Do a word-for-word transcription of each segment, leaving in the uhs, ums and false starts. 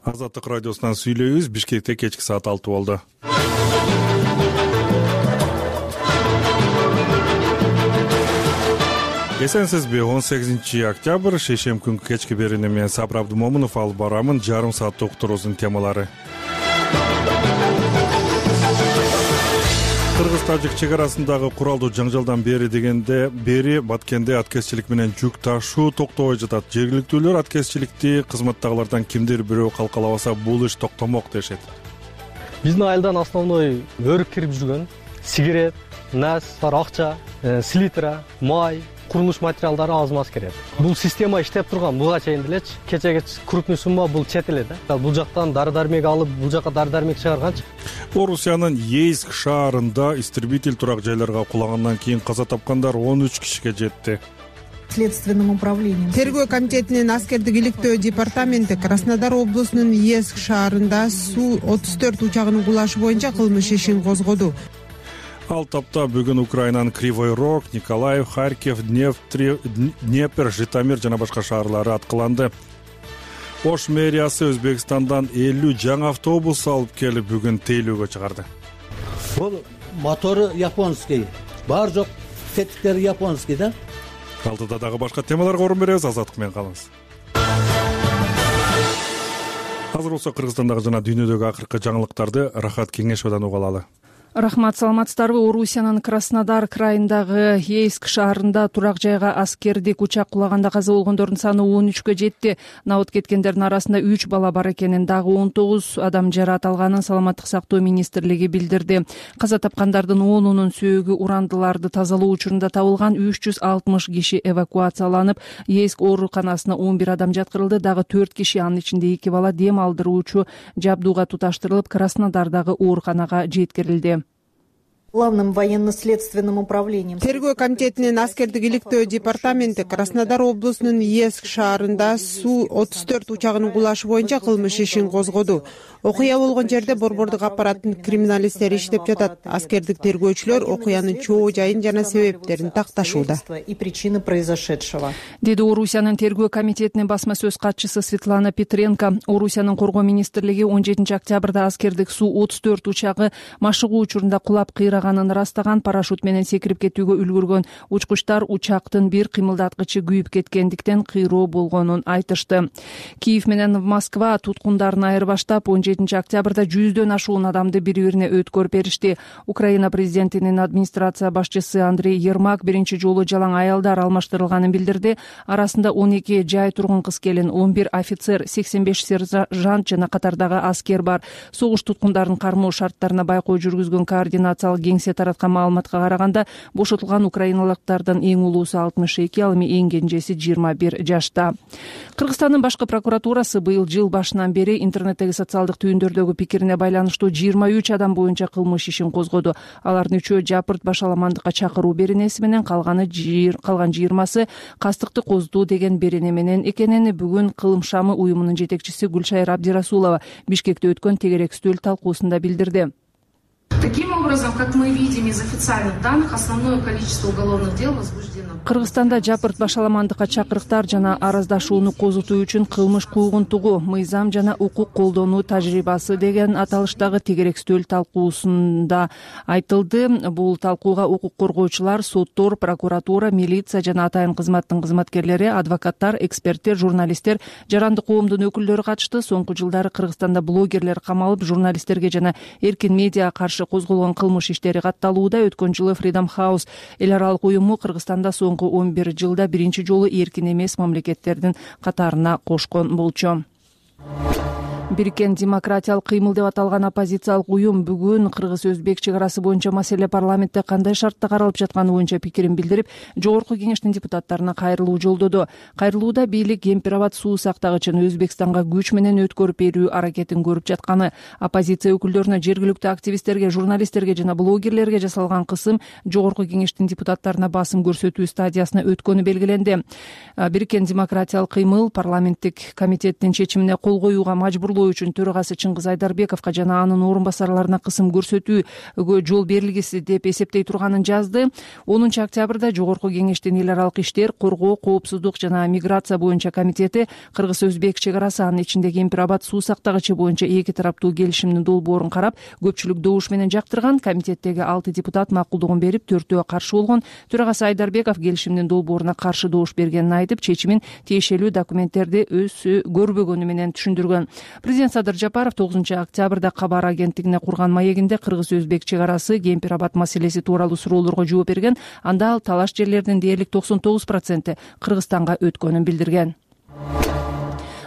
Азаттык радиосунан сүйлөйбүз. Бишкекте кечки саат алты болду. Эсенсизби? он сегизинчи октябрь шейшемби күнкү кечки берүүнү мен Сабыр Абдымомунов алып барамын. Жарым сааттык уктуруубуздун темалары. Кыргыз-Тажик чек арасындагы куралдуу жаңжалдан бери дегенде бери Баткенде аткезчилик менен жүк ташуу токтобой жатат. Жергиликтүүлөр аткезчиликти кызматтагылардан кимдир бирөө калкалабаса бул иш токтомок дешет. Биздин айылдан основной өрүк кирип жүргөн сигарет, нас, акча, селитра, май, курулуш материалдары аз-маз кирет. Бул система иштеп турган буга чейин делечи. Кечеге крупный сумма бул чет эле да. Бул жактан дары-дармек алып, бул жака дары-дармек чыгарганчы. Орусиянын Ейск шаарында истребитель турак жайларга кулагандан кийин каза тапкандар он үч кишиге жетти. Следственным управлением. Тергөө комитетинин аскердик иликтөө департаменти Краснодар облусунун Ейск шаарында Су отуз төрт учагынын кулашы боюнча кылмыш ишин козгоду. Ал тапта бүгүн Украинанын Кривой Рог, Николаев, Харьков, Днепр, Житомир жана башка шаарлары аткыланды. Ош мэриясы Өзбекстандан элүү жаңы автобус алып келип бүгүн тейлөөгө чыгарды. Бул мотору японский, бар жок тетиктери японский да. Алдыда дагы башка темаларга орун беребиз. Азаттык менен калыңыз. Азыр болсо Кыргызстандагы жана дүйнөдөгү акыркы жаңылыктарды Рахат Кеңешовдон уга алалы. Рахмат, саламатсыздарбы? Орусиянын Краснодар крайындагы Ейск шаарында турак жайга аскердик учак кулаганда каза болгондордун саны он үчкө жетти. Набыт кеткендердин арасында үч бала бар экенин, дагы он тогуз адам жаракат алганын Саламаттык сактоо министрлиги билдирди. Каза тапкандардын онунун сөөгү урандыларды тазалоо учурунда табылган. үч жүз алтымыш киши эвакуацияланып, Ейск ооруканасына он бир адам жаткырылды. Дагы төрт киши, анын ичинде эки бала, дем алдыруучу жабдууга туташтырылып, Краснодардагы ооруканага жеткирилди. Главным военно-следственным управлением. Тергөө комитетинин аскердик иликтөө департаменти Краснодар облусунун Ейск шаарында Су отуз төрт учагынын кулашы боюнча кылмыш ишин козгоду. Окуя болгон жерде борбордук аппараттын криминалисттери иштеп жатат. Аскердик тергөөчүлөр окуянын чоо жайын жана себептерин такташууда. И причины произошедшего. Деди Орусиянын тергөө комитетинин басма сөз катчысы Светлана Петренко. Орусиянын коргоо министрлиги он жетинчи октябрда аскердик Су отуз төрт учагы машыгуу учурунда кулап кыйраганын ырастаган. Парашют менен секирип кетүүгө үлгүргөн учкучтар учактын бир кыймылдаткычы күйүп кеткендиктен кыйроо болгонун айтышты. Киев менен Москва туткундарын айырбаштап он жетинчи октябрда жүздөн ашуун адамды бири-бирине өткөрүп беришти. Украина президентинин администрация башчысы Андрей Ермак биринчи жолу жалаң аялдар алмаштырылганын билдирди. Арасында он эки жай тургун кыз-келин, он бир офицер, сексен беш сержант жана катардагы аскер бар. Согуш туткундарын кармоо шарттарына байкоо жүргүзгөн координациялык кеңсе тараткан маалыматка караганда, бошотулган украиналыктардын эң улуусу алтымыш эки, ал эми эң кенжеси жыйырма бир жашта. Кыргызстандын башкы прокуратурасы быйыл жыл башынан бери интернеттеги социалдык түйүндөрдөгү пикирине байланыштуу жыйырма үч адам боюнча кылмыш ишин козгоду. Алардын үчөө жапырт башаламандыкка чакыруу беренеси менен, калганы калган жыйырмасы кастыкты коздуу деген берене менен экенин бүгүн Кылым шамы уюмунун жетекчиси Гүлшайыр Абдирасулова Бишкекте өткөн тегерек стөл талкуусунда билдирди. Таким образом, как мы видим из официальных данных, основное количество уголовных дел возбуждено. Кыргызстанда жапырт башаламандыкка чакырыктар жана араздашууну козутуу үчүн кылмыш куугунтугу, мыйзам жана укук колдонуу тажрыйбасы деген аталыштагы тегерек стөл талкуусунда айтылды. Бул талкууга укук коргоочулар, соттор, прокуратура, милиция жана атайын кызматтын кызматкерлери, адвокаттар, эксперттер, журналисттер, жарандык коомдун өкүлдөрү катышты. Соңку жылдары Кыргызстанда блогерлер камалып, журналисттерге жана эркин медиа каршы козголгон кылмыш иштери катталууда. Өткөн жылы Freedom House эл аралык уюму Кыргызстанда соңку он бир жылда биринчи жолу эркин эмес мамлекеттердин катарына кошкон болчу. Бириккен демократиялык кыймыл деп аталган оппозициялык уюм бүгүн кыргыз-өзбек чек арасы боюнча маселе парламентте кандай шартта каралып жатканы боюнча пикирин билдирип, жогорку кеңештин депутаттарына кайрылуу жолдоду. Кайрылууда бийлик Гемпирабад суу сактагычын Өзбекстанга күч менен өткөрүп берүү аракетин көрүп жатканы, оппозиция өкүлдөрүнө, жергиликтүү активисттерге, журналисттерге жана блогерлерге жасалган кысым жогорку кеңештин депутаттарына басым көрсөтүү стадиясына өткөнү белгиленди. Бириккен демократиялык кыймыл парламенттик комитеттин чечимине кол коюуга мажбур уктурлоо үчүн төрагасы Чыңгыз Айдарбековго жана анын орун басарларына кысым көрсөтүүгө жол берилгиси деп эсептей турганын жазды. онунчу октябрда Жогорку Кеңештин эл аралык иштер, коргоо, коопсуздук жана миграция боюнча комитети Кыргыз-Өзбек чек арасы, анын ичинде Кемпир Абад суу сактагычы боюнча эки тараптуу келишимдин долбоорун карап, көпчүлүк добуш менен жактырган. Комитеттеги алты депутат макулдугун берип, төртөө каршы болгон. Төрагасы Айдарбеков келишимдин долбооруна каршы добуш бергенин айтып, чечимин тиешелүү документтерди өзү көрбөгөнү менен түшүндүргөн. Президент Садыр Жапаров тогузунчу октябрда кабар агенттигине курган маегинде Кыргыз-Өзбек чек арасы, Кемпир Абад маселеси тууралуу суроолорго жооп берген. Анда ал талаш жерлердин дээрлик токсон тогуз проценти Кыргызстанга өткөнүн билдирген.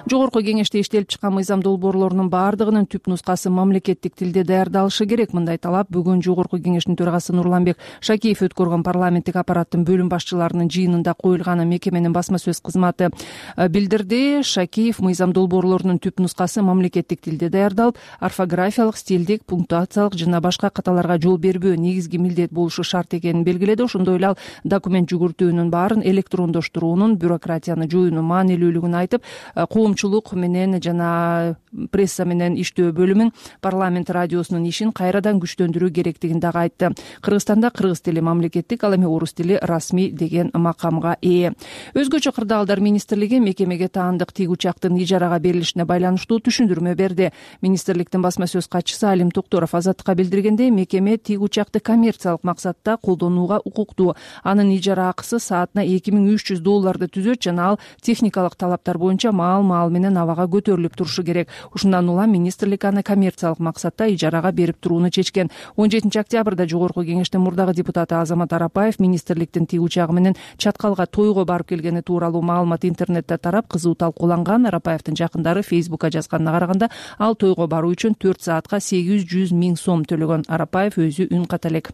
Жогорку Кеңеште иштелип чыккан мыйзам долбоорлорунун баардыгынын түп нускасы мамлекеттик тилде даярдалышы керек. Мындай талап бүгүн Жогорку Кеңештин төрагасы Нурланбек Шакиев өткөргөн парламенттик аппараттын бөлүм башчыларынын жыйынында коюлганын мекеменин басма сөз кызматы билдирди. Шакиев мыйзам долбоорлорунун түп нускасы мамлекеттик тилде даярдалып, орфографиялык, стилдик, пунктуациялык жана башка каталарга жол бербөө негизги милдет болушу шарт экенин белгиледи. Ошондой эле ал документ жүгүртүүнүн баарын электрондоштуруунун, бюрократияны жоюунун маанилүүлүгүн айтып, коомчулук менен жана пресса менен иштөө бөлүмүн, парламент радиосунун ишин кайрадан күчтөндүрүү керектигин дагы айтты. Кыргызстанда кыргыз тили мамлекеттик, ал эми орус тили расмий деген макамга ээ. Өзгөчө кырдаалдар министрлиги мекемеге таандык тик учактын ижарага берилишине байланыштуу түшүндүрмө берди. Министрликтин басма сөз катчысы Алим Токторов Азаттыкка билдиргендей, мекеме тик учакты коммерциялык максатта колдонууга укуктуу. Анын ижара акысы саатына эки миң үч жүз долларды түзөт жана ал техникалык талаптар боюнча маал маал менен абага көтөрүлүп турушу керек. Ушундан улам министрлик аны коммерциялык максатта ижарага берип турууну чечкен. он жетинчи октябрда Жогорку Кеңештин мурдагы депутаты Азамат Арапаев министрликтин тик учагы менен Чаткалга тойго барып келгени тууралуу маалымат интернетте тарап, кызуу талкууланган. Арапаевдин жакындары Фейсбукка жазганына караганда, ал тойго баруу үчүн төрт саатка сегиз жүз миң сом төлөгөн. Арапаев өзү үн ката элек.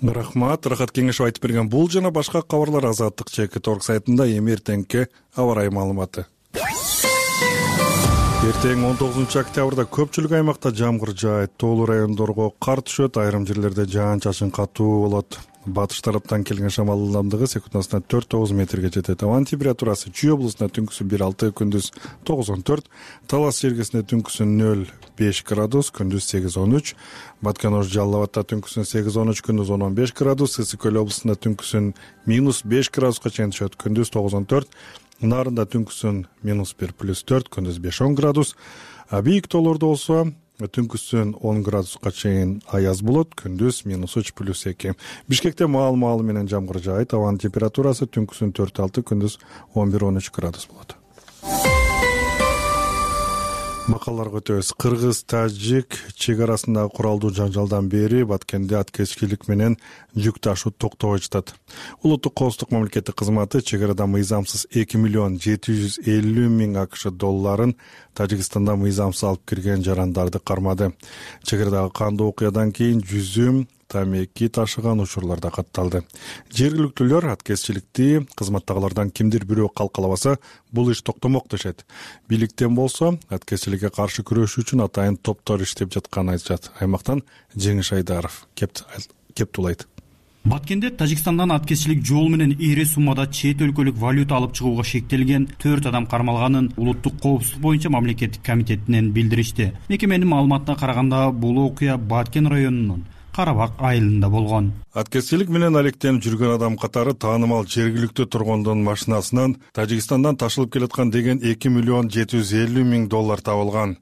Рахмат. Рахат Кеңешов айтып берген бул жана башка кабарлар Азаттык чекит орг сайтында. Эми эртеңки аба ырайы маалыматы. Эртең он тогузунчу октябрда көпчүлүк аймакта жамгыр жаайт, тоолуу райондорго кар түшөт, айрым жерлерде жаан-чачын катуу болот. Батыш тараптан келген шамал ылдамдыгы секундасына төрт тогуз метрге жетет. Абанын температурасы Чүй облусунда түнкүсүн бир алты, күндүз тогуз он төрт, Талас жергесинде түнкүсүн нөл беш градус, күндүз сегиз он үч, Баткен-Ош Жалал Абадта түнкүсүн сегиз он үч, күндүз он он беш градус, Ысык Көл облусунда түнкүсүн минус беш градуска чейин түшөт, күндүз тогуз он төрт, Нарында түнкүсүн минус бир плюс төрт, күндүз беш он градус. Бийик тоолордо болсо түнкүсүн он градуска чейин аяз болот, күндүз минус үч плюс эки. Бишкекте маал-маалы менен жамгыр жаайт, абанын температурасы түнкүсүн төрт алты, күндүз он бир он үч градус болот. Макалларга өтөбүз. Кыргыз-тажик чек арасындагы куралдуу жаңжалдан бери Баткенде аткезчилик менен жүк ташуу токтобой жатат. Улуттук коопсуздук мамлекеттик кызматы чек арада мыйзамсыз эки миллион жети жүз элүү миң АКШ долларын Тажикстанда мыйзамсыз алып кирген жарандарды кармады. Чек арадагы кандуу окуядан кийин жүзүм тамеки ташыган учурларда катталды. Жергиликтүүлөр аткезчиликти кызматтагылардан кимдир бирөө калкалабаса, бул иш токтомок дешет. Бийликтен болсо, аткезчиликке каршы күрөшүү үчүн атайын топтор иштеп жатканын айтышат. Аймактан Жеңиш Айдаров кептулайт. Баткенде Тажикстандан аткезчилик жол менен эре суммада чет өлкөлүк валюта алып чыгууга шектелген төрт адам кармалганын Улуттук коопсуздук боюнча мамлекеттик комитетинен билдиришти. Мекеменин маалыматына караганда, бул окуя Баткен районунун Карабак айылында болгон. Аткезчилик менен алектенип жүргөн адам катары таанымал жергиликтүү тургундун машинасынан Тажикстандан ташылып келаткан деген эки миллион жети жүз элүү миң доллар табылган.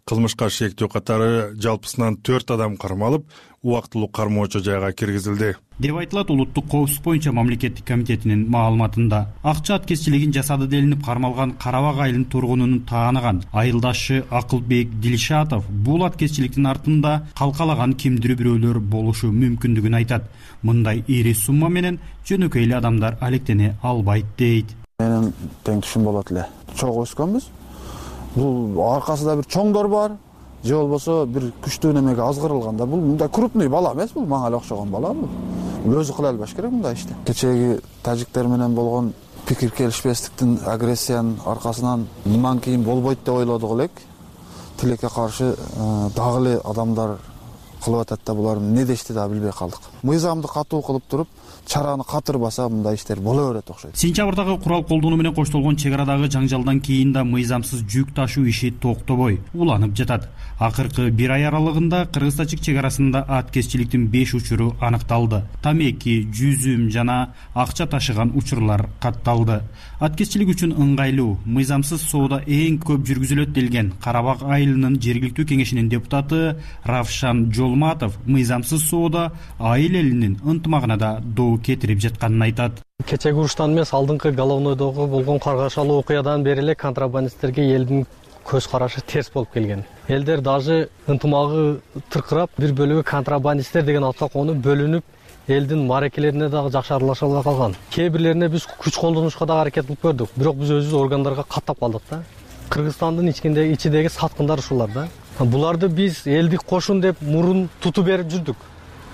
Кылмышка шектөө катары жалпысынан төрт адам кармалып, убактылуу кармоочу жайга киргизилди деп айтылат Улуттук коопсуздук боюнча мамлекеттик комитетинин маалыматында. Акча аткезчилигин жасады делинип кармалган Карабак айылынын тургунун тааныган айылдашы Акылбек Дилшатов бул аткезчиликтин артында калкалаган кимдир бирөөлөр болушу мүмкүндүгүн айтат. Мындай ири сумма менен жөнөкөй эле адамдар алектене албайт дейт. Менин тең түшүм болот эле. Чогуу өскөнбүз. Бул аркасында бир чоңдор бар, же болбосо бир күчтүү немеге азгырылганда, бул мындай крупный бала эмес, бул мага эле окшогон бала бул. Өзү кыла албаш керек мындай ишти. Кечеги тажиктер менен болгон пикир келишпестиктин, агрессиянын аркасынан мындан кийин болбойт деп ойлодук элек. Тилекке каршы дагы эле адамдар кылып атат да, булар эмне дешти да билбей калдык. мыйзамды катуу кылып туруп чараны катырбаса мындай иштер боло берет окшойт. Сентябрдагы курал колдонуу менен коштолгон чек арадагы жаңжалдан кийин да мыйзамсыз жүк ташуу иши токтобой уланып жатат. Акыркы бир ай аралыгында кыргыз-тажик чек арасында аткезчиликтин беш учуру аныкталды. Тамеки, жүзүм жана акча ташыган учурлар катталды. Аткезчилик үчүн ыңгайлуу, мыйзамсыз соода эң көп жүргүзүлөт делген Карабак айылынын жергиликтүү кеңешинин депутаты Равшан Жолматов мыйзамсыз соода айыл элинин ынтымагына да доо кетирип жатканын айтат. Кечеги уруштан эмес, алдыңкы Головнойдогу болгон каргашалуу окуядан бери эле контрабандисттерге элдин көз карашы терс болуп келген. Элдер даже ынтымагы тыркырап, бир бөлүгү контрабандисттер деген атка конуп бөлүнүп, элдин мааракелерине дагы жакшы аралаша албай калган. Кээ бирлерине биз күч колдонушка дагы аракет кылып көрдүк, бирок биз өзүбүз органдарга каттап калдык да. Кыргызстандын ичиндеги ичидеги саткындар ушулар да. Буларды биз элдик кошун деп мурун тутуп берип жүрдүк.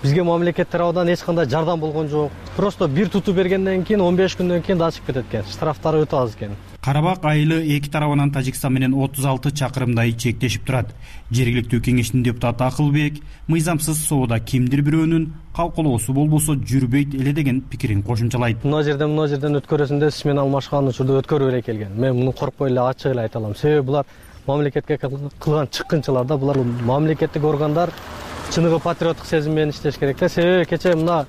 Бизге мамлекет тарабынан эч кандай жардам болгон жок. Просто бир тутуп бергенден кийин он беш күндөн кийин да чыгып кетет экен. Штрафтары өтө аз экен. Карабак айылы эки тарабынан Тажикстан менен отуз алты чакырымдай чектешип турат. Жергиликтүү кеңештин депутаты Акылбек мыйзамсыз соода кимдир бирөөнүн калкалоосу болбосо жүрбөйт эле деген пикирин кошумчалайт. Мына жерден мына жерден өткөрөсүндө сиз менен алмашкан учурда өткөрүп эле келген. Мен муну коркпой эле ачык эле айта алам. Себеби булар мамлекетке кылган чыккынчылар да, булар мамлекеттик органдар чыныгы патриоттук сезим менен иштеш керек да. Себеби кечээ мына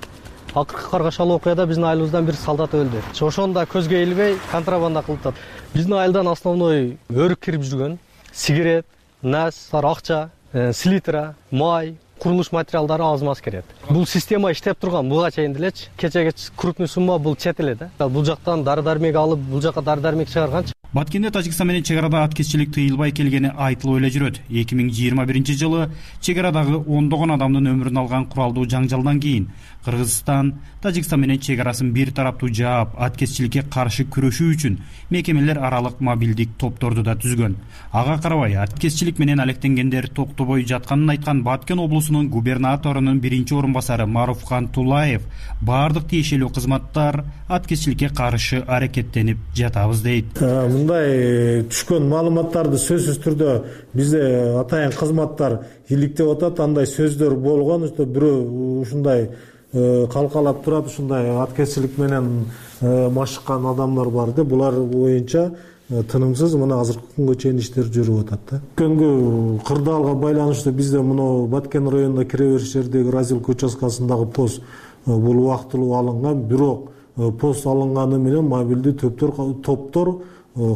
акыркы каргашалуу окуяда биздин айылыбыздан бир солдат өлдү. Ошону да көзгө илбей контрабанда кылып атат. Биздин айылдан основной өрүк кирип жүргөн сигарет, нас, акча, селитра, май, курулуш материалдары аз-маз кирет. Бул система иштеп турган буга чейин делечи. Кечеге крупный сумма бул чет эле да. Бул жактан дары-дармек алып, бул жака дары-дармек чыгарганчы. Баткенде Тажикстан менен чек арада аткезчилик тыйылбай келгени айтылып эле жүрөт. эки миң жыйырма биринчи жылы чек арадагы ондогон адамдын өмүрүн алган куралдуу жаңжалдан кийин Кыргызстан Тажикстан менен чек арасын бир тараптуу жаап, аткезчиликке каршы күрөшүү үчүн мекемелер аралык мобилдик топторду да түзгөн. Ага карабай, аткезчилик менен алектенгендер токтобой жатканын айткан Баткен облусунун губернаторунун биринчи орун басары Маруфхан Тулаев баардык тиешелүү кызматтар аткезчиликке каршы аракеттенип жатабыз дейт. Мындай түшкөн маалыматтарды сөзсүз түрдө бизде атайын кызматтар иликтеп атат. Андай сөздөр болгон, бирөө ушундай калкалап турат, ушундай аткезчилик менен машыккан адамдар бар да. Булар боюнча тынымсыз мына азыркы күнгө чейин иштер жүрүп атат да. Күнгө кырдаалга байланыштуу бизде мына Баткен районуна кире бериш жердеги разилка участкасындагы пост бул убактылуу алынган, бирок пост алынганы менен мобилдүү топтор топтор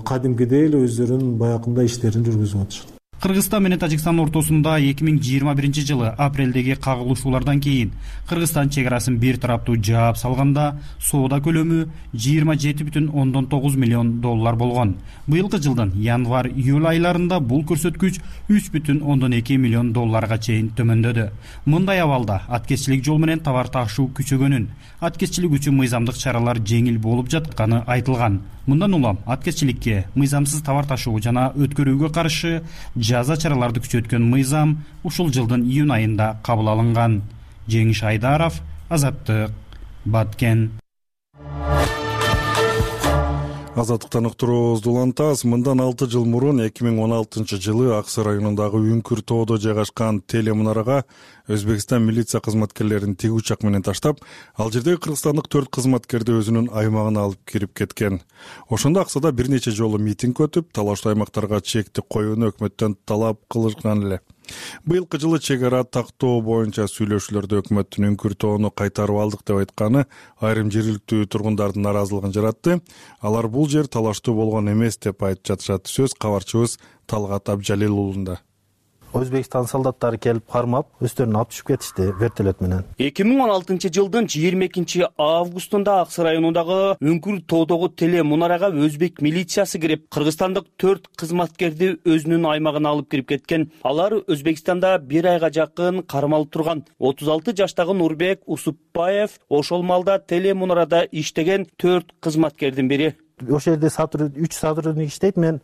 кадимкидей эле өздөрүнүн баягындай иштерин жүргүзүп атышат. Кыргызстан менен Тажикстан ортосунда эки миң жыйырма биринчи жылы апрелдеги кагылышуулардан кийин Кыргызстан чек арасын бир тараптуу жаап салганда соода көлөмү жыйырма жети бүтүн ондон тогуз миллион доллар болгон. Быйылкы жылдын январь-июль айларында бул көрсөткүч үч бүтүн ондон эки миллион долларга чейин төмөндөдү. Мындай абалда аткезчилик жол менен товар ташуу күчөгөнүн, аткезчилик үчүн мыйзамдык чаралар жеңил болуп жатканы айтылган. Мындан улам аткезчиликке, мыйзамсыз товар ташуу жана өткөрүүгө каршы жаза чараларды күчөткөн мыйзам ушул жылдын июнь айында кабыл алынган. Жеңиш Айдаров, Азаттык, Баткен. Азаттыктан уктуруубузду улантабыз. Мындан алты жыл мурун эки миң он алтынчы жылы Аксы районундагы Үңкүр тоодо жайгашкан телемунарага Өзбекстан милиция кызматкерлерин тиг учак менен таштап, ал жердеги кыргызстандык төрт кызматкерди өзүнүн аймагына алып кирип кеткен. Ошондо Аксада бир нече жолу митинг өтүп, талаштуу аймактарга чектик коюуну өкмөттөн талап кылышкан эле. Быйылкы жылы чек ара тактоо боюнча сүйлөшүүлөрдө өкмөттүн Үңкүр тоону кайтарып алдык деп айтканы айрым жергиликтүү тургундардын нааразылыгын жаратты. Алар бул жер талаштуу болгон эмес деп айтып жатышат. Сөз кабарчыбыз Талгат Абжалил уулунда. Өзбекстан солдаттары келип кармап, өздөрүн алып түшүп кетишти вертолет менен. эки миң он алтынчы жылдын жыйырма экинчи августунда Аксы районундагы Үңкүр тоодогу телемунарага өзбек милициясы кирип, кыргызстандык төрт кызматкерди өзүнүн аймагына алып кирип кеткен. Алар Өзбекстанда бир айга жакын кармалып турган. отуз алты жаштагы Нурбек Усупбаев ошол малда телемунарада иштеген төрт кызматкердин бири. Ошол жерде үч сотрудник иштейт, мен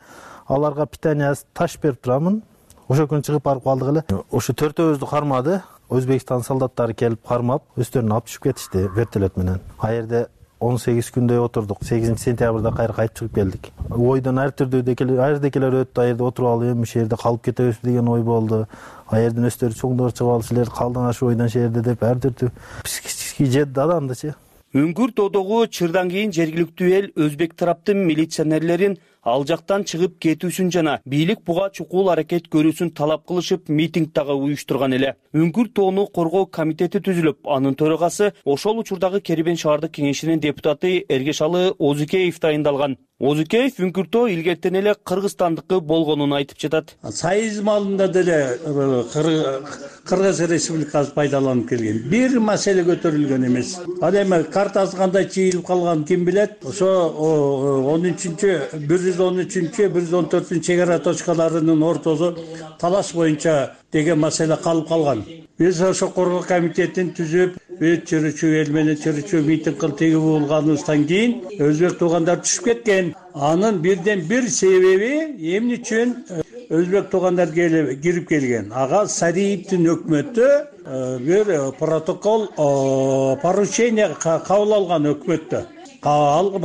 аларга питание таш берип турамын. Ошо күн чыгып барып калдык эле. Ошо төртөөбүздү кармады. Өзбекстан солдаттары келип кармап, өздөрүн алып түшүп кетишти вертолет менен. А жерде он сегиз күндөй отурдук. сегизинчи сентябрда кайра кайтып чыгып келдик. Ойдон ар түрдүү декелер, ар жердекелер өттү. А жерде отуруп алып эми ушул жерде калып кетебизби деген ой болду. А жерден өстөрү чоңдор чыгып алып силер калдыңар ушул ойдон ушул жерде деп ар түрдүү психический жетти адамдычы. Үңкүр тоодогу чырдан кийин жергиликтүү эл өзбек тараптын милиционерлерин ал жактан чыгып кетүүсүн жана бийлик буга чукул аракет көрүүсүн талап кылышып митинг дагы уюштурган эле. Үңкүр тоону коргоо комитети түзүлүп, анын төрагасы ошол учурдагы Кербен шаардык кеңешинин депутаты Эргешалы Озукеев дайындалган. Озукеев Үңкүр тоо илгертен эле кыргызстандыкы болгонун айтып жатат. Союз малында деле Кыргыз Республикасы пайдаланып келген. Бир маселе көтөрүлгөн эмес. Ал эми картасы кандай чыйылып калганын ким билет? Ошо он үчүнчү бир жүз он үчүнчү бир жүз он төртүнчү чек ара точкаларынын ортосу талаш боюнча деген маселе калып калган. Биз ошо коргоо комитетин түзүп, өт чырычуу эл менен чырычуу митинг кылып тегип булганыбыздан кийин өзбек туугандар түшүп кеткен. Анын бирден бир себеби эмне үчүн өзбек туугандар кирип келген. Ага Сариевдин өкмөтү бир протокол поручение кабыл алган өкмөттө. Ал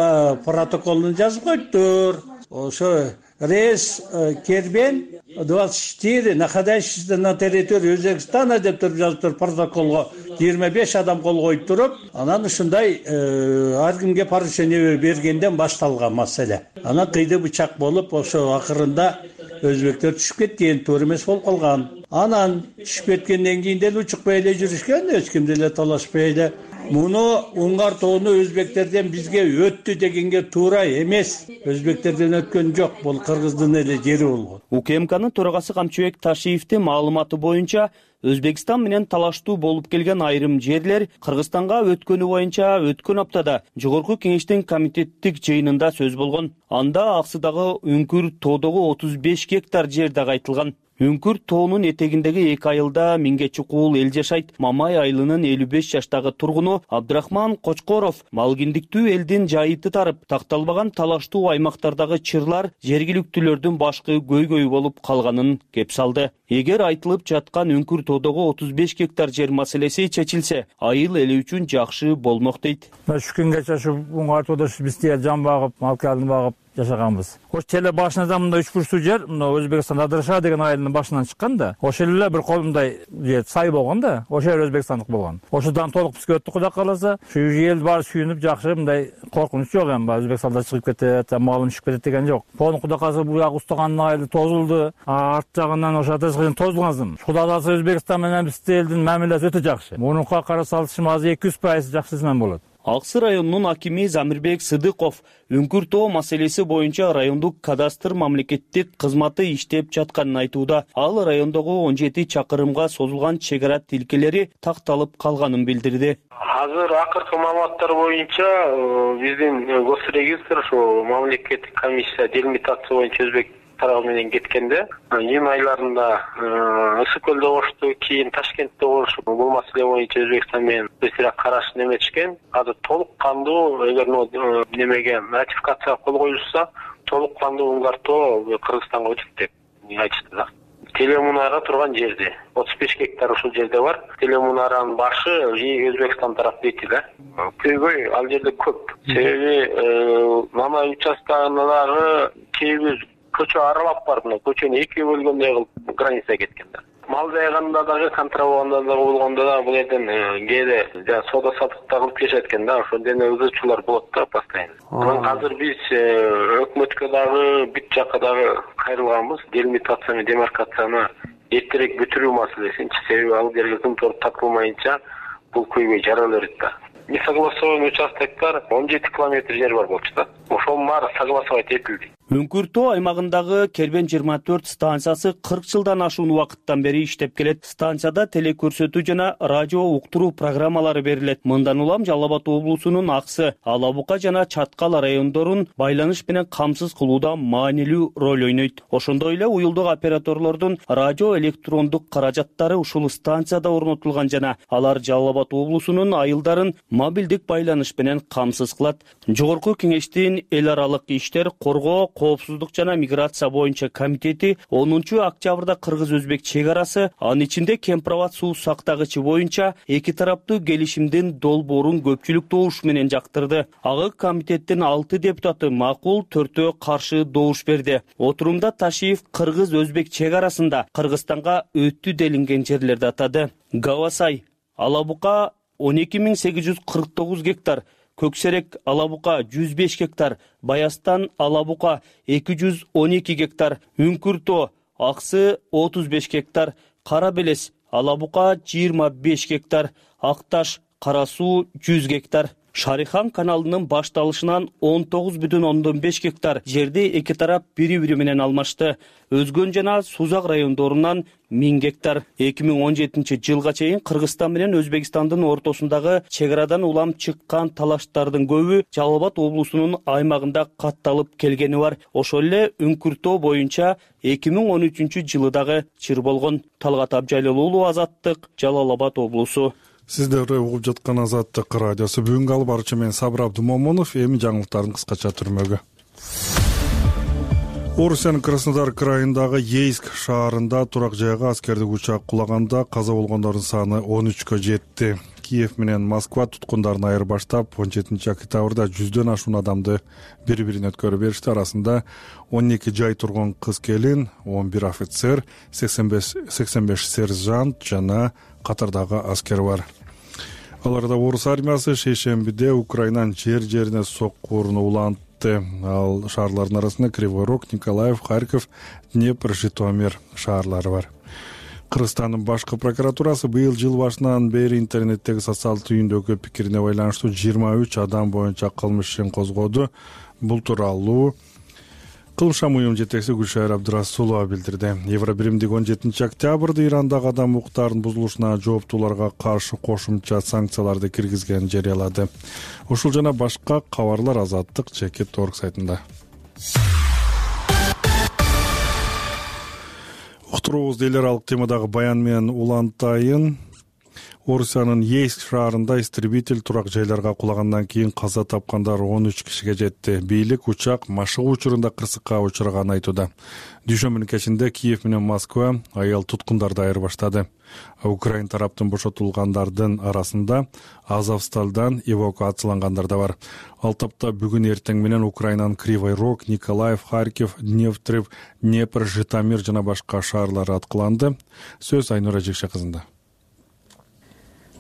протоколун жазып коюптур. Ошо рейс Кербен двадцать четыре находящийся на территории Өзбекстана деп туруп жазыптыр протоколго. жыйырма беш адам кол коюп туруп, анан ушундай ар кимге поручение бергенден башталган маселе. Анан кыйды бычак болуп, ошо акырында өзбектер түшүп кеткен, туура эмес болуп калган. Анан түшүп кеткенден кийин деле учукпай эле жүрүшкөн, эч ким деле талашпай эле. Муну Уңгар тоону өзбектерден бизге өттү дегенге туура эмес. Өзбектерден өткөн жок, бул кыргыздын эле жери болгон. УКМКнын төрагасы Камчыбек Ташиевдин маалыматы боюнча, Өзбекстан менен талаштуу болуп келген айрым жерлер Кыргызстанга өткөнү боюнча өткөн аптада Жогорку кеңештин комитеттик жыйынында сөз болгон. Анда аксыдагы Үңкүр тоодогу отуз беш гектар жер дагы айтылган. Үңкүр тоонун этегиндеги эки айылда миңге чукул эл жашайт. Мамай айылынын элүү беш жаштагы тургуну Абдрахман Кочкоров малгиндиктүү элдин жайыты тарып, такталбаган талаштуу аймактардагы чырлар жергиликтүүлөрдүн башкы көйгөйү болуп калганын кеп салды. Эгер айтылып жаткан Үңкүр тоодогу отуз беш гектар жер маселеси чечилсе, айыл эли үчүн жакшы болмок дейт. Түшкөнгөчө ушу Уңгар тоодо биз жан багып, мал калдын багып жашаганбыз. Ош теле башынан мындай үч бурчтуу жер, мына Өзбекстан Адырша деген айылдын башынан чыккан да. Ошол эле бир колундай жер сай болгон да. Ошол жер Өзбекстандык болгон. Ошодан толук бизге өттү, Кудай кааласа. Ушу эл баары сүйүнүп жакшы, мындай коркунуч жок эми. Өзбекстанда чыгып кетет, малым түшүп кетет деген жок. Пону Кудай кааласа бул жак устаганын айылы тозулду. Арт жагынан ошо атышкын тозулган. Кудай кааласа Өзбекстан менен биздин элдин мамилеси өтө жакшы. Мунука кара салышым азыр эки жүз пайыз жакшысынан болот. Аксы районунун акими Замирбек Сыдыков Үңкүр тоо маселеси боюнча райондук кадастр мамлекеттик кызматы иштеп жатканын айтууда. Ал райондогу он жети чакырымга созулган чек ара тилкелери такталып калганын билдирди. Азыр акыркы маалыматтар боюнча биздин госрегистр ошо мамлекеттик комиссия делимитация боюнча өзбек тарабы менен кеткенде, июнь айларында Ысык көлдө болушту, кийин Ташкентте болушу. Бул маселе боюнча Өзбекстан менен өздөрү караш неметишкен. Азыр толук кандуу эгер немеге ратификацияга кол коюлса, толук кандуу Уңгар тоо Кыргызстанга өтөт деп айтышты да. Телемунара турган жерде отуз беш гектар ушул жерде бар. Телемунаранын башы Өзбекстан тарап дейт да. Көйгөй ал жерде көп. Себеби Мамай участкалары кээ бир көчө аралап барып, мына көчөнү экиге бөлгөндөй кылып границага кеткен да. Мал жайганда дагы, контрабанда дагы болгондо да бул жерден кээде соода саттыкта кылып келишет экен да, ошол дене ызычуулар болот да постоянно. Анан азыр биз өкмөткө дагы бүт жакка дагы кайрылганбыз, делимитация менен демаркацияны эртерээк бүтүрүү маселесинчи. Себеби ал жерге кымтор тартылмайынча бул көйгөй жара берет да. Несогласованный участоктор он жети километр жер бар болчу да. Ошонун баары согласовать этилди. Үңкүр тоо аймагындагы Кербен жыйырма төрт станциясы кырк жылдан ашуун убакыттан бери иштеп келет. Станцияда телекөрсөтүү жана радио уктуруу программалары берилет. Мындан улам Жалал Абад облусунун Аксы, Ала Бука жана Чаткал райондорун байланыш менен камсыз кылууда маанилүү роль ойнойт. Ошондой эле уюлдук операторлордун радио электрондук каражаттары ушул станцияда орнотулган жана алар Жалал Абад облусунун айылдарын мобилдик байланыш менен камсыз кылат. Жогорку кеңештин эл аралык иштер, коргоо, коопсуздук жана миграция боюнча комитети онунчу октябрда кыргыз өзбек чек арасы, анын ичинде Кемпирабад суу сактагычы боюнча эки тараптуу келишимдин долбоорун көпчүлүк добуш менен жактырды. Ага комитеттин алты депутаты макул, төртөө каршы добуш берди. Отурумда Ташиев кыргыз өзбек чек арасында Кыргызстанга өттү делинген жерлерди атады. Гавасай, Алабука он эки миң сегиз жүз кырк тогуз гектар, Көксерек, Алабука жүз беш гектар, Баястан, Алабука эки жүз он эки гектар, Үңкүртөө, Аксы отуз беш гектар, Кара Белес, Алабука жыйырма беш гектар, Акташ, Кара Суу жүз гектар. Шарихан каналынын башталышынан он тогуз бүтүн ондон беш гектар жерди эки тарап бири-бири менен алмашты. Өзгөн жана Сузак райондорунан миң гектар. эки миң он жетинчи жылга чейин Кыргызстан менен Өзбекстандын ортосундагы чек арадан улам чыккан талаштардын көбү Жалал Абад облусунун аймагында катталып келгени бар. Ошол эле Үңкүртөө боюнча эки миң он үчүнчү жылы дагы чыр болгон. Талгат Абжалил уулу, Азаттык, Жалал Абад облусу. Сиздер угуп жаткан Азаттык радиосу. Бүгүнкү алып баруучу мен Сабыр Абдумомунов. Эми жаңылыктардын кыскача түрмөгү. Орусиянын Краснодар крайындагы Ейск шаарында турак жайга аскердик учак кулаганда каза болгондордун саны он үчкө жетти. Киев менен Москва туткундарын айырбаштап, он жетинчи октябрда жүздөн ашуун адамды бири-бирине өткөрүп беришти. Арасында он эки жай турган кыз келин, он бир офицер, сексен беш сержант жана катардагы аскер бар. Аларда орус армиясы шейшембиде Украинанын жер-жерине соккууруну улантты. Ал шаарлардын арасында Кривой Рог, Николаев, Харьков, Днепр, Житомир шаарлары бар. Кыргызстандын башкы прокуратурасы быйыл жыл башынан бери интернеттеги социалдык түйүндөгү пикирине байланыштуу жыйырма үч адам боюнча кылмыш ишин козгоду. Бул тууралуу Кылмыш уюм жетекчиси Гүлшайыр Абдырасулова билдирди. Евробиримдик он жетинчи октябрда Ирандагы адам укуктарынын бузулушуна жооптууларга каршы кошумча санкцияларды киргизгенин жарыялады. Ушул жана башка кабарлар Азаттык чекит точка орг сайтында. Уктуруубуз эл аралык темадагы баян менен улантайын. Орусиянын Ейск шаарында истребитель турак жайларга кулагандан кийин каза тапкандар он үч кишиге жетти. Бийлик учак машыгуу учурунда кырсыкка учураган айтууда. Дүйшөмбүнүн кечинде Киев менен Москва аял туткундарды айырбаштады. Украин тараптын бошотулгандардын арасында Азовсталдан эвакуациялангандар да бар. Ал тапта бүгүн эртең менен Украинанын Кривой Рог, Николаев, Харьков, Днепр, Днепр, Житомир жана башка шаарлары аткыланды. Сөз Айнура Жекше кызында.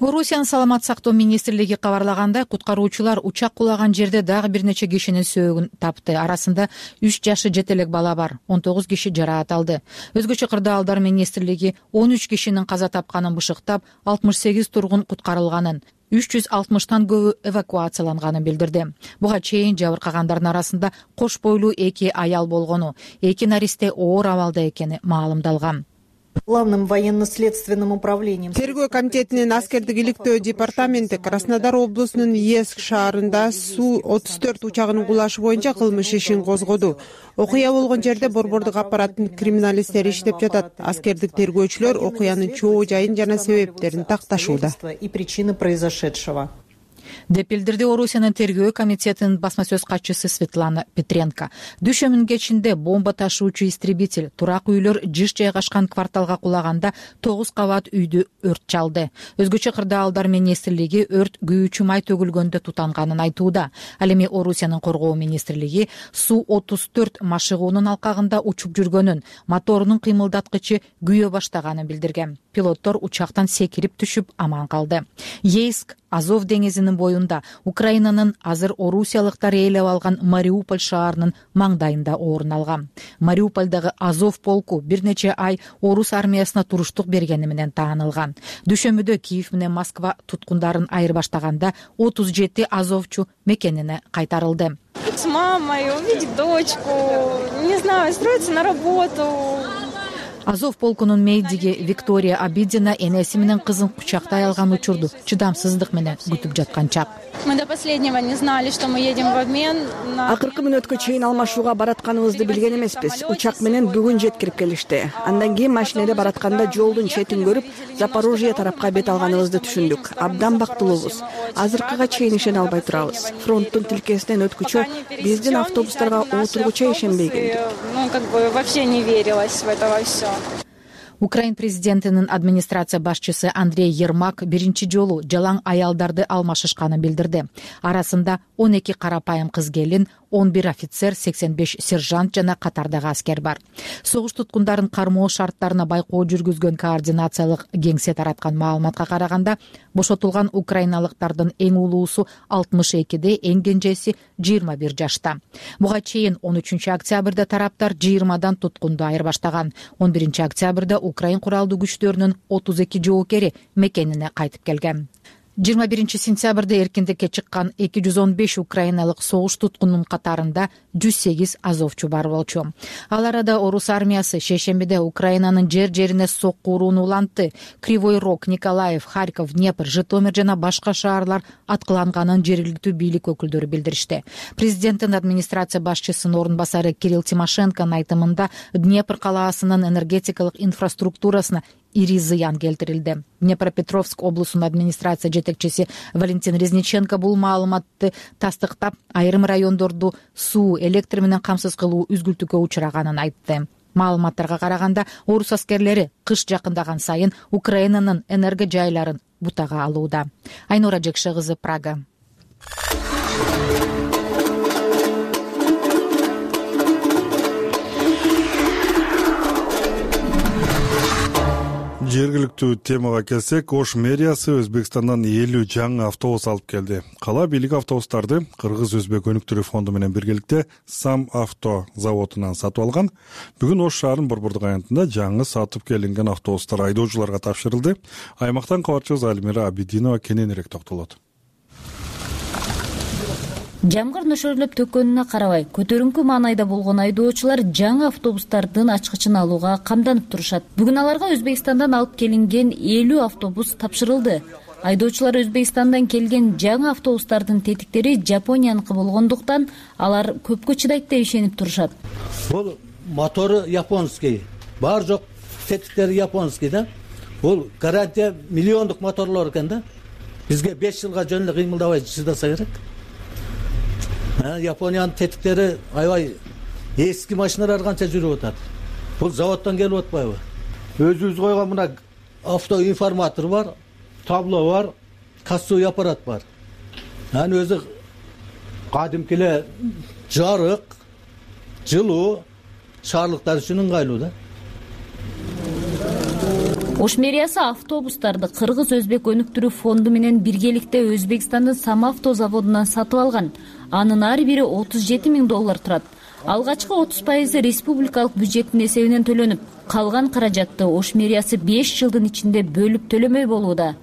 Орусиянын саламат сактоо министрлиги кабарлагандай, куткаруучулар учак кулаган жерде дагы бир нече кишинин сөөгүн тапты. Арасында үч жашы жете элек бала бар, он тогуз киши жараат алды. Өзгөчө кырдаалдар министрлиги он үч кишинин каза тапканын бышыктап, алтымыш сегиз тургун куткарылганын, үч жүз алтымыштан көбү эвакуацияланганын билдирди. Буга чейин жабыркагандардын арасында кош бойлуу эки аял болгону, эки наристе оор абалда экени маалымдалган. Главным военно-следственным управлением. Тергөө комитетинин аскердик иликтөө департаменти Краснодар облусунун Ейск шаарында Су отуз төрт учагынын кулашы боюнча кылмыш ишин козгоду. Окуя болгон жерде борбордук аппараттын криминалисттери иштеп жатат. Аскердик тергөөчүлөр окуянын чоо жайын жана себептерин такташууда. И причины произошедшего. деп билдирди Орусиянын тергөө комитетинин басма сөз катчысы Светлана Петренко. Дүйшөмбүнүн кечинде бомба ташуучу истребитель турак үйлөр жыш жайгашкан кварталга кулаганда тогуз кабат үйдү өрт чалды. Өзгөчө кырдаалдар министрлиги өрт күйүүчү май төгүлгөндө тутанганын айтууда. Ал эми Орусиянын коргоо министрлиги Су отуз төрт машыгуунун алкагында учуп жүргөнүн, моторунун кыймылдаткычы күйө баштаганын билдирген. Пилоттор учактан секирип түшүп аман калды. Ейск Азов деңизинин боюнда Украинанын азыр орусиялыктар ээлеп алган Мариуполь шаарынын маңдайында орун алган. Мариупольдагы Азов полку бир нече ай орус армиясына туруштук бергени менен таанылган. Дүйшөмбүдө Киев менен Москва туткундарын айырбаштаганда отуз жети азовчу мекенине кайтарылды. С мамой увидеть дочку, не знаю, устроиться на работу. Азов полкунун мейдиги Виктория Абидина энеси менен кызын кучактай алган учурду чыдамсыздык менен күтүп жаткан чак. Мы до последнего не знали, что мы едем в обмен. Акыркы мүнөткө чейин алмашууга баратканыбызды билген эмеспиз. Учак менен бүгүн жеткирип келишти. Андан кийин машинеде баратканда жолдун четин көрүп, Запорожье тарапка бет алганыбызды түшүндүк. Абдан бактылуубуз. Азыркыга чейин ишене албай турабыз. Фронттун тилкесинен өткүчө биздин автобустарга отургуча ишенбей келдик. Ну, как бы вообще не верилось в это во всё. Украин президентинин администрация башчысы Андрей Ермак биринчи жолу жалаң аялдарды алмашышканын билдирди. Арасында он эки карапайым кыз келин, он бир офицер, сексен беш сержант жана катардагы аскер бар. Согуш туткундарын кармоо шарттарына байкоо жүргүзгөн координациялык кеңсе тараткан маалыматка караганда, бошотулган украиналыктардын эң улуусу алтымыш экиде, эң кенжеси жыйырма бир жашта. Буга чейин он үчүнчү октябрда тараптар жыйырмадан туткунду айырбаштаган. он биринчи октябрда Украин куралдуу күчтөрүнүн отуз эки жоокери мекенине кайтып келген. жыйырма биринчи сентябрда эркиндикке чыккан эки жүз он беш украиналык согуш туткунунун катарында жүз сегиз азовчу бар болчу. Ал арада орус армиясы шейшембиде Украинанын жер-жерине сокку урууну улантты. Кривой Рог, Николаев, Харьков, Днепр, Житомир жана башка шаарлар аткыланганын жергиликтүү бийлик өкүлдөрү билдиришти. Президенттин администрация башчысынын орун басары Кирилл Тимошенконун айтымында Днепр калаасынын энергетикалык инфраструктурасына ири зыян келтирилди. Днепропетровск облусунун администрация жетекчиси Валентин Резниченко бул маалыматты тастыктап, айрым райондорду суу, электр менен камсыз кылуу үзгүлтүүгө учураганын айтты. Маалыматтарга караганда, орус аскерлери кыш жакындаган сайын Украинанын энерго жайларын бутага алууда. Айнура Жекше кызы, Прага. Жергиликтүү темага келсек, Ош мэриясы Өзбекстандан элүү жаңы автобус алып келди. Кала бийлиги автобустарды Кыргыз-Өзбек өнүктүрүү фонду менен биргеликте Сам авто заводунан сатып алган. Бүгүн Ош шаарынын Борбордук аянтында жаңы сатып келинген автобустар айдоочуларга тапшырылды. Аймактан кабарчыбыз Альмира Абидинова кененирээк токтолот. Жамгыр нөшөрлөп төккөнүнө карабай, көтөрүңкү маанайда болгон айдоочулар жаңы автобустардын ачкычын алууга камданып турушат. Бүгүн аларга Өзбекстандан алып келинген элүү автобус тапшырылды. Айдоочулар Өзбекстандан келген жаңы автобустардын тетиктери Жапонияныкы болгондуктан алар көпкө чыдайт деп ишенип турушат. Бул мотору японский, бар жок тетиктери японский да. Бул гарантия миллиондук моторлор экен да. Бизге беш жылга жөн эле кыймылдабай чыдаса керек. Япониянын тетиктери аябай эски машиналар канча жүрүп атат. Бул заводдон келип атпайбы? Өзүбүз койгон мына автоинформатор бар, табло бар, кассовый аппарат бар. Анын өзү кадимки эле жарык, жылуу шаарлыктар үчүн ыңгайлуу да. Ош мэриясы автобустарды Кыргыз-Өзбек өнүктүрүү фонду менен биргеликте Өзбекстандын Сам авто заводунан сатып алган. Анын ар бири отуз жети миң доллар турат. Алгачкы отуз пайызы республикалык бюджеттин эсебинен төлөнүп, калган каражатты Ош мэриясы беш жылдын ичинде бөлүп төлөмөй болууда.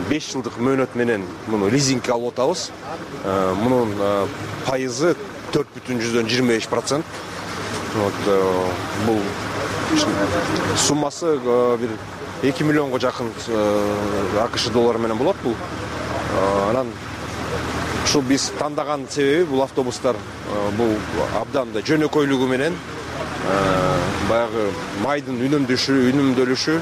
беш жылдык мөөнөт менен муну лизингге алып атабыз. Мунун пайызы төрт бүтүн жүздөн жыйырма беш процент. Бул суммасы бир эки миллионго жакын АКШ доллары менен болот бул. Анан ушул биз тандаган себеби бул автобустар бул абдан да жөнөкөйлүгү менен баягы майдын үнөмдөшү, үнөмдөлүшү.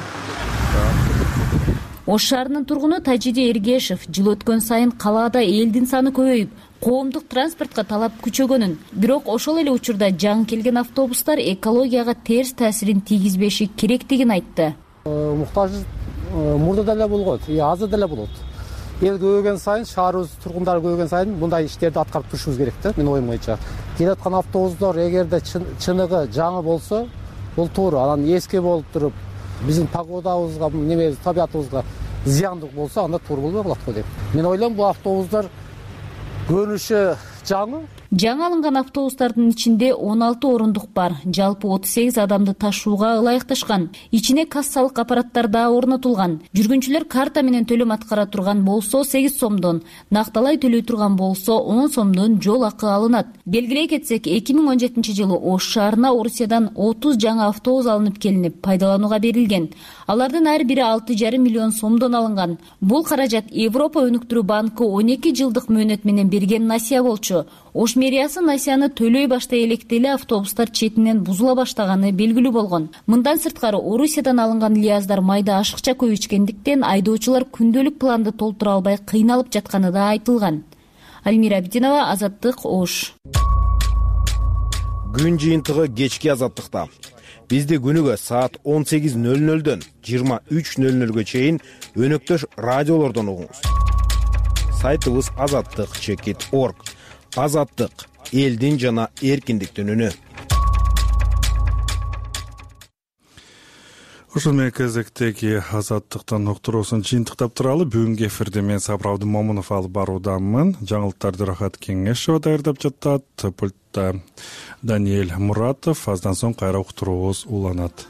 Ош шаарынын тургуну Тажиди Эргешев жыл өткөн сайын калаада элдин саны көбөйүп, коомдук транспортко талап күчөгөнүн, бирок ошол эле учурда жаңы келген автобустар экологияга терс таасирин тийгизбеши керектигин айтты. Муктаждык мурда деле болгон, азыр деле болот. Эл көбөйгөн сайын, шаарыбыз тургундары көбөйгөн сайын мындай иштерди аткарып турушубуз керек да, менин оюм боюнча. Келаткан автобустар эгерде чыныгы жаңы болсо, бул туура. Анан эски болуп туруп, биздин погодабызга, немебиз, табиятыбызга зыяндык болсо, анда туура болбой калат го деп. Мен ойлойм, бул автобустар көрүнүшү жаңы, жаңы алынган автобустардын ичинде он алты орундук бар, жалпы отуз сегиз адамды ташууга ылайыкташкан. Ичине кассалык аппараттар да орнотулган. Жүргүнчүлөр карта менен төлөм аткара турган болсо сегиз сомдон, накталай төлөй турган болсо он сомдон жол акы алынат. Белгилей кетсек, эки миң он жетинчи жылы Ош шаарына Орусиядан отуз жаңы автобус алынып келинип, пайдаланууга берилген. Алардын ар бири алты жарым миллион сомдон алынган. Бул каражат Европа өнүктүрүү банкы он эки жылдык мөөнөт менен берген насыя болчу. Ош мэриясы насыяны төлөй баштай электе эле автобустар четинен бузула баштаганы белгилүү болгон. Мындан сырткары Орусиядан алынган лияздар майда ашыкча көп ичкендиктен айдоочулар күндөлүк планды толтура албай кыйналып жатканы да айтылган. Альмира Абдинова, Азаттык, Ош. Күн жыйынтыгы кечки Азаттыкта. Бизди күнүгө саат он сегиз нөл нөлдөн жыйырма үч нөл нөлгө чейин өнөктөш радиолордон угуңуз. Сайтыбыз азаттык чекит точка орг. Азаттык — элдин жана эркиндиктин үнү. Ушул менен кезектеги азаттыктын уктуруусун жыйынтыктап туралы бүгүнкү эфирде мен Сабыр Абдымомунов алып баруудамын. Жаңылыктарды Рахат Кеңешова даярдап жатат. Пультта Даниэль Муратов. Аздан соң кайра уктуруубуз уланат.